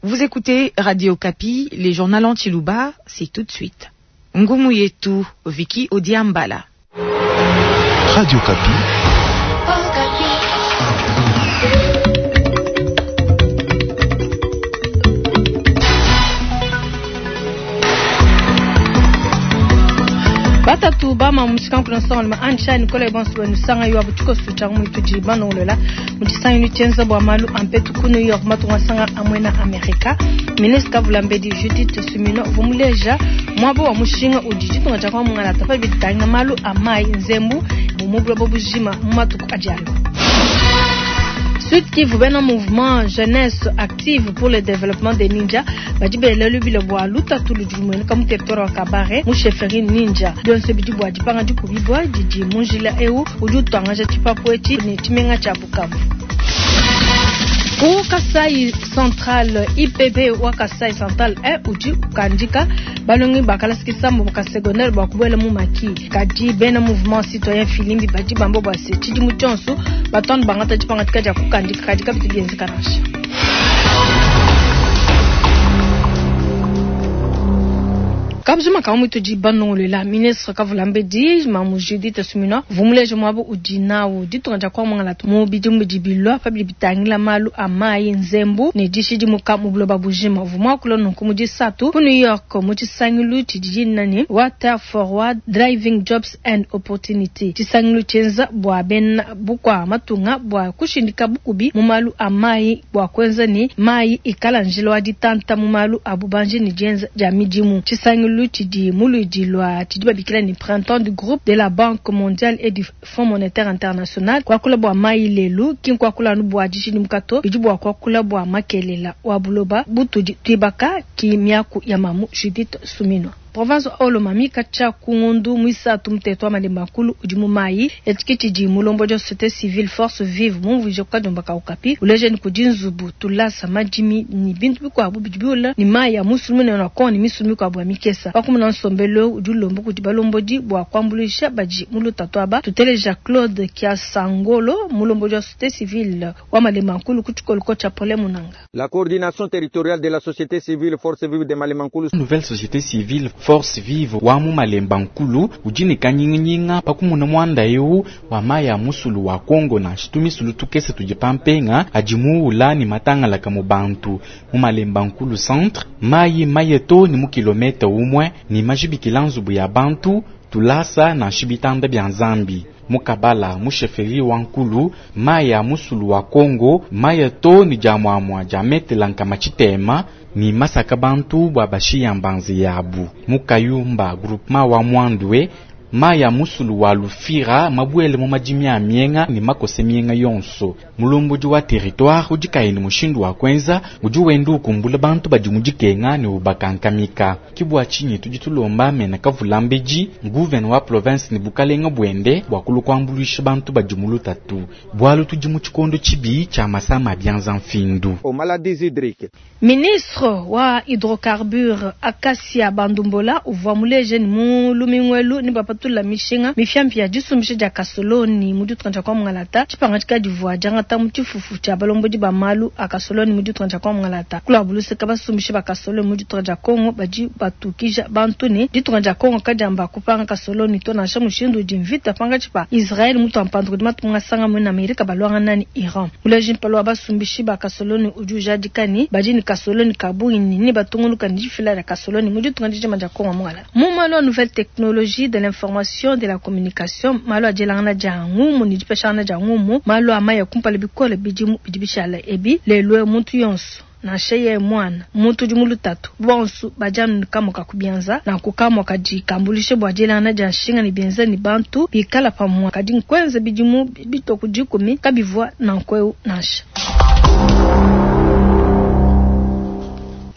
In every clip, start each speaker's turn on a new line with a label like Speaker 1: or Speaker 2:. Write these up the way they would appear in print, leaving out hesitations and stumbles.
Speaker 1: Vous écoutez Radio Okapi, les journaux en Tshiluba, c'est tout de suite. Ngumu yetu, Vicky Odiambala.
Speaker 2: Radio Okapi.
Speaker 3: Batatu bama mushikanku nsonga ansha Nicole bonso wenu sanga yo abuchiko sucha mu tudi banolola mu tshisangilu tshienza bua malu a mpetu ku New York matunga sanga amwena Amerika. Ministre Kavulambedi Judith Suminwa vumuleja mwabo wa mushinga udi ditunga dia kwa mungalata pa bitanga malu a mai nzembu mu buloba bujima mu matuku adi alua. Sud Kivu bena mouvement jeunesse active pour le développement des ninja badi bela lubila bua lutatu ludi lumueneka mu territoire wa Kabare mu chefferie ninja bionso bidi bua dipanga dikubibua didi mu njila eu udi utuangaja tshipapu etshi ne tshimenga tshia Bukavu. Ku Kasai Central IPB wa Kasai Central 1 udi ukandika balongi ba kalasa kisambo ka secondaire bua kubuela mu maki kadi bena mouvement citoyen filimbi badi bamba bua se tshidimu tshionso batondo bangata dipangadika dia kukandika kadi kabitu bienzeka nansha. Kabzuma ka mutu di banongolela ministre Kavulambedi mamu Judith Suminwa vumuleje mwabo udi nawu ditunga dia kwa mwangala mu bidimu bidi bilua pa bidi bitangila malu a mai nzembu ne dishidimuka mu buloba bujima. Vumwakula nunku mu disatu ku New York mu tshisangilu tshidi dina ne Water Forward Driving Jobs and Opportunity. Tshisangilu tshienza bua bena bukua matunga bua kushindika bukubi mu malu a mai bua kuenza ne mai ikala njila wa ditanta mu malu a bubanji ne dienza dia midimu. Tshisangilu tshidi muludi lwa tshidi babikila ni printemps du groupe de la Banque mondiale et du Fonds monétaire international. Kwakula bua mai lelu ki nkwakula anu bua dishidimuka to bidi bua kwakula bua makelela wa buloba butudi tuibaka ki miaku ya mamu Judith Suminwa. Province Haut-Lomami katshia ku ngondu muisatu muteto wa Malemba Nkulu udi mu mai etshi tshidi mulombo dia société civile force vive mumvuije ku kadiomba ka Okapi uleje ni kudi nzubu tulasa madimi ni bintu bikuabu bidi biula ni mai ya musulu munene wa Kongo ni misulu mikuabu ya mikesa. Pakumuna nsombelo udi ulomba kudi balombodi bua kuambuluisha badi mu lutatu aba. Tuteleja Claude Kiasangolo mulombo dia société civile wa Malemba Nkulu ku tshikoloko tshia Paul Munanga.
Speaker 4: La coordination territoriale de la société civile force vive de Malemba Nkulu.
Speaker 5: Nouvelle société civile force vive wa mu Malemba Nkulu udi ne kanyinganyinga pakumuna muanda eu wa mai ya musulu wa Kongo na shitumisulu tukese tudi pampenga adi muula ni matangalaka mu bantu mu Malemba Nkulu centre mai mayeto ni mu kilometa umwe ni majibikila nzubu ya bantu tulasa na shibitanda bya nzambi mukabala mu chefferie wa Nkulu mai ya musulu wa Kongo mayeto ni jamwamwa jametelanka machitema ni masaka bantu bwa bashiya mbanzi yabu mukayumba groupement wa Mwandwe mai ya musulu wa Lufira mabwele mu madimi a mienga ni makose mienga yonso mulumbudi wa territoire udi kaini mushindu wa kwenza udi wenda ukumbula bantu badi mudikenga ne ubakankamika kibwa tshinyi tudi tulomba mena kavulambedi gouverneur wa province ne bukalenga bwende bua kulu kuambuluisha bantu badi mu lutatu bwalu tudi mu tshikondo tshibi tshia masama bianza mfindu.
Speaker 4: Aux maladies hydriques.
Speaker 3: Ministre wa hydrocarbures Acacia Bandumbola uvua muleje ni mu lumingwelu ni bapatula mishinga mifiampi ya disumbisha dia kasoloni mu ditunga dia kwa mungalata tshipanga tshikadivua diangata mu tshifufu tshia balombodi ba malu a kasoloni mu ditunga dia kwa mungalata kula buluseka basumbisha ba kasoloni mu ditunga dia Kongo badi batukija bantu ne ditunga dia Kongo kadiamba kupanga kasoloni to nansha mushindu udi mvita panga tshipa Israël mutu ampandu kudi matunga sanga mu Amerika balwanga nani Iran muleje mpalo wa basumbishi ba kasoloni udi ujadika ni badi ni kasoloni kabungi ni batunguluka ni difila ya kasoloni mu ditunga dijima dia Kongo mungalata mu malu a nouvelle technologie de l'information de la communication malu a dielangana dia ngumu ni dipeshangana dia ngumu malu a maya kumpala bikole bidimu bidi bishala ebi lelwe muntu yonso nansha ye mwana muntu udi mu lutatu bonso badianu kamoka kubianza na kukamwa kadi kambulishe bua dielangana dia nshinga ne bienza ni bantu bikala pamua kadi nkwenza bidimu bitoku dikumi kabivua nankweu nansha.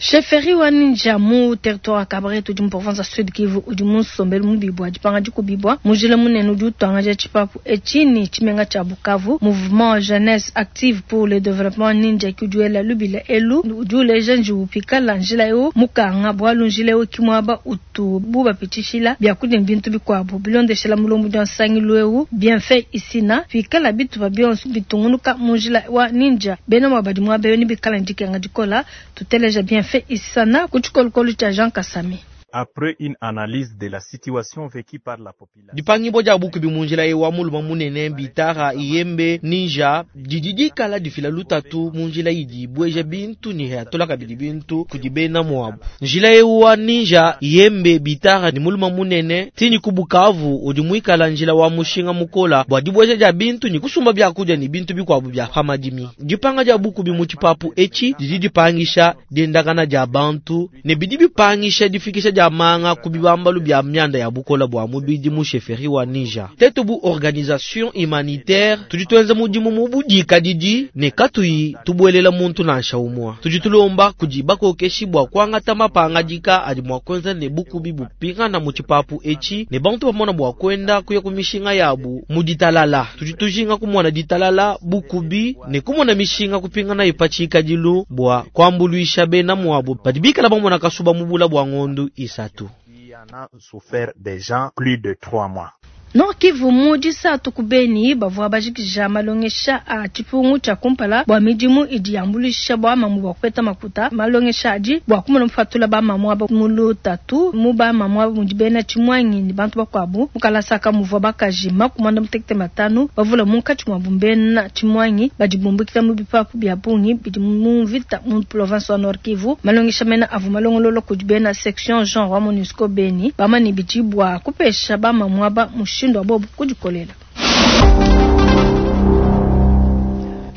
Speaker 3: Chefferie wa Ninja mu territoire wa Kabare tudi mu province ya Sud Kivu udi mu nsombelu mubi bua dipanga dikubibua. Mu njila munene udi utuangaja tshipapu etshi ne tshimenga tshia Bukavu. Mouvement Jeunesse Active pour le Développement Ninja ki udi wela lubila elu, udi uleja njiwu pikala njila eu mukanga, bualu njila eu ki muaba utubu bapitshishila biakudia ne bintu bikuabu. Bilondeshela mulombodi wa nsangilu eu Bienfait Isina, pikala bitupa bionso bitungunuka mu njila wa Ninja, bena muaba badi muaba eu nebikala ne dikenga dikola. Tuteleja Bienfait Isana ku tshikolokolo tshia Jean Kasami.
Speaker 6: Après une analyse de la situation vécue par la population.
Speaker 7: Dipangibua dia bukubi mu njila eu wa muluma munene Bitara Iyembe Ninja didi dikala difila lutatu mu njila idi ibueja bintu ne atola kabidi bintu kudi bena muabu. Njila eu wa Ninja Iyembe Bitara ne muluma munene tini ku Bukavu udi muikala njila wa mushinga mukola bua dibueja dia bintu ne kusumba biakudia ne bintu bikuabu bia pa madimi. Dipanga dia bukubi mu tshipapu etshi didi dipangisha diendakana dia bantu ne bidi bipangisha difikisha dia manga ku bibambalu bia mianda ya bukola bua mubidi mu chefferie wa Ninja. Tetu bu organisation humanitaire tudi tuenza mudimu mu budikadidi ne katuyi tubuelela muntu nansha umua. Tudi tulomba kudi bakokeshi bua kuangata mapangadika adi mua kuenza ne bukubi bupingana mu tshipapu etshi ne bantu bamona bua kuenda kuya ku mishinga yabu mu ditalala. Tudi tujinga kumona ditalala bukubi ne kumona mishinga kupingana ipatshikadilu bua kuambuluisha bena muabu badi bikala bamona kasuba mu bula bua ngondu isatu.
Speaker 6: Qui en a souffert déjà plus de 3 mois.
Speaker 3: Nord Kivu mu disatu ku Beni bavua bajikija malongesha a tshipungu tshia kumpala bua midimu idi yambuluisha bua mamu bua kupeta makuta. Malongesha adi bua kumona mufatula ba mamu aba mu lutatu mu ba mamu aba mudi bena tshimuangi ne bantu bakuabu. Mu kalasa muvua bakaji 55 bavula munkatshi muabu mbena tshimuangi badi bumbukila mu bipapu bia bungi bidi mu mvita mu province wa Nord Kivu. Malongesha mena avua malongolola kudi bena section genre wa MONUSCO Beni bamani bidi bua kupesha ba mamu aba mushindu wa bobu kudikolela.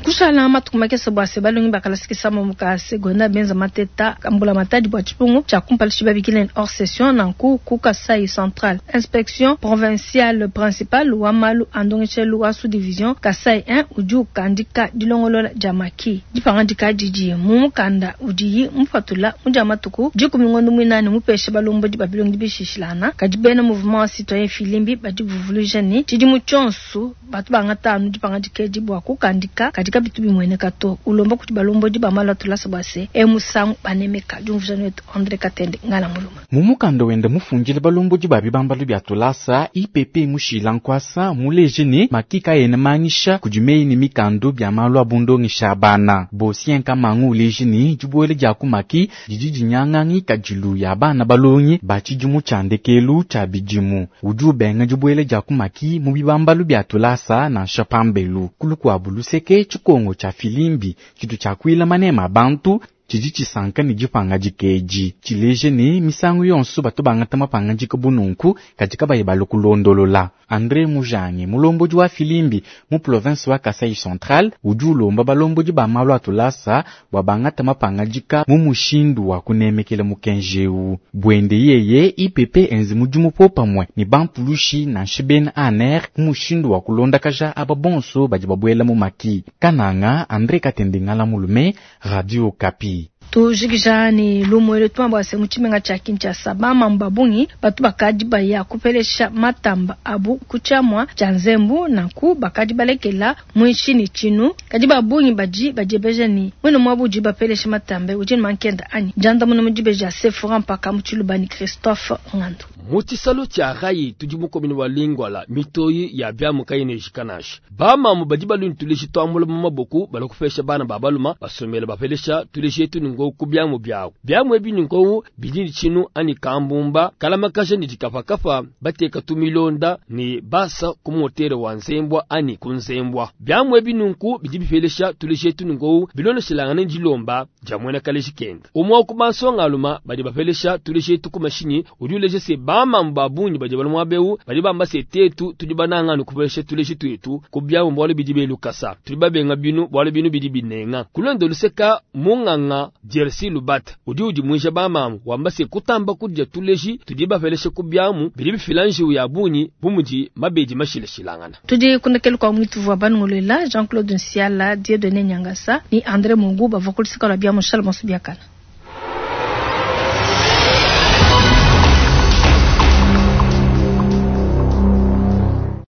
Speaker 3: Kushala matuku makese bua se balongi bakalasikisa mu ka secondaire benza mateta mbula matadi bua tshipungu tshia kumpala tshibabikile hors session nanku ku Kasai Central. Inspection provinciale principale wa malu a ndongeshelu wa sous division Kasai 1 udi ukandika dilongolola dia maki. Dipangadika didi mu mukanda udiyi mupatula mu dia matuku 10 ngondo mwinane mupeshe balombodi ba bilongi bishishilana. Kadi bena mouvement citoyen Filimbi badi buvuluija ne tshidimu tshionso batu bangatanu dipangadika edi bua kukandika kadi kabitu bimweneka to. Ulomba kuti balombodi ba malu atulasa bua se emusangu banemeka diumvuija wetu André Katende ngala muluma.
Speaker 5: Mu mukanda wenda mufundile balombodi ba bibambalu bia tulasa IPP mushila nkwasa muleje ne makika ene mangisha kudi meyi ne mikando bia malu abundongesha bana. Bosien kamangu uleje ne dibuele dia kumaki didi dinyangangi kadilu ya bana balongi ba tshidimu tshia ndekelu tshia bidimu. Udi ubenga dibuele dia kumaki mu bibambalu bia tulasa nansha pambelu. Kulukuabu luseke tshikongo tshia filimbi tshitu tshia kuila manema bantu tshidi tshisanka ne dipangadika edi. Tshileje ne misangu yonso bato bangata mapangadika bununku kadi kabayi balu kulondolola. André Mujange mulombodi wa filimbi mu province wa Kasai Central udi ulomba balombodi ba malu atulasa bua bangata mapangadika mu mushindu wa kunemekela mukenji eu. Bwende yeye IPP enzi mudimu popamwe ne bampulushi nansha bena ANR mu mushindu wa kulondakaja aba bonso badi babuela mu maki. Kananga André Katende Ngala Mulume, Radio Okapi.
Speaker 3: Tujikija ni lumwele twamba se mu tshimenga tshia Kinshasa bamama babungi batu bakadi baya kupelesha matamba abu kutshiamua tshia nzembu nanku bakadi balekela muinshi ne tshinu. Kadi babungi badi badiebeja ni mwene mwabu udi bapelesha matambe udi ne mankenda anyi. Diandamuna mu dibeja Sephora mpaka mu tshiluba ni Christophe Ngandu.
Speaker 8: Mu tshisalo tshia rai tudi mu komini wa Lingwala mitoyi ya biamu kai ne jikanasha. Bamamu badi baluni tuleji twambula mu maboku balakupesha bana ba baluma basomela bapelesha tuleji etu ni ngo ku biamu byawo. Biamu ebi ni ngo bidi ni tshinu ani kambumba kalamakaja ni dikapakapa bateka tumilonda ni basa ku motere wa nzembwa ani ku nzembwa. Biamu ebi nunku bidi bipelesha tuleji etu ni ngo biloneshilangana ni dilomba dia mwena kaleji kenda. Umwa ku bansonga aluma badi bapelesha tuleji etu ku mashinyi udi uleje se bamamu babungi badi balumwa beu badi bamba se tetu tudi bananga ni kupelesha tuleji twetu ku biamu bwalo bidi belukasa. Tudi babenga binu bwalo binu bidi binenga. Kulondo luseka munganga Jersey Lubat udi udi mwija bamamu wamba se kutamba kudya tuleji tudi bapelesha ku biamu bidi bifilanji ya bunyi bumudi mabedi mashilashilangana.
Speaker 3: Tudi kundekelu kwa mwitu vwa banungulela Jean-Claude Nsiala, Dieudonné Nyangasa ni André Mungu bavua kulisika la biamu Charles Monsubiakana.